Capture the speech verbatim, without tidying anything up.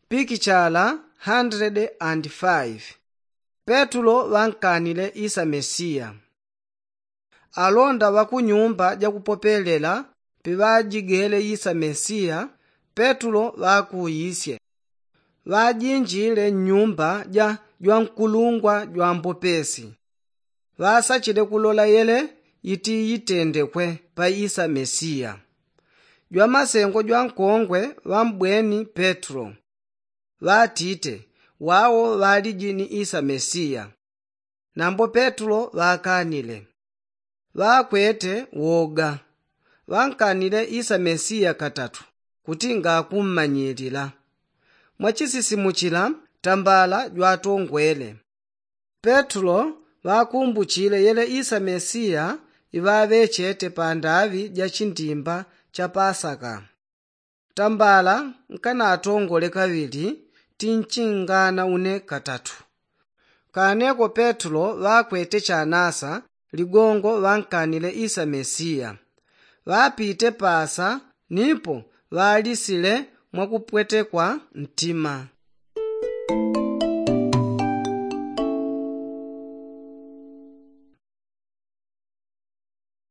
Pikichala handrede and faifi. Petulo ŵankanile isa mesiya. Alonda ŵa ku nyumba jakupopelela piŵajigele isa mesiya, petulo ŵakuisye. Ŵajinjile nnyumba ja jwankulungwa jwambopesi. Ŵasachile kulola yele itiitendekwe pa isa mesiya. Jwamasengo jwankongwe ŵambweni petulo. Ŵatite, wawo ŵaliji ni isa mesiya. Nambo petulo ŵakanile. Ŵakwete woga. Ŵankanile isa mesiya katatu kuti ngakummanyilila. Mwachisisimuchila tambala jwatongwele. Petulo ŵakumbuchile yele isa mesiya iŵaŵechete pandaŵi ja chindimba cha pasaka. Tambala nkanatongole kaŵili tinchingana une katatu. Kaneko petulo ŵakwete chanasa ligongo ŵankanile isa mesiya. Ŵapite pasa nipo ŵalisile mwakupwetekwa ntima.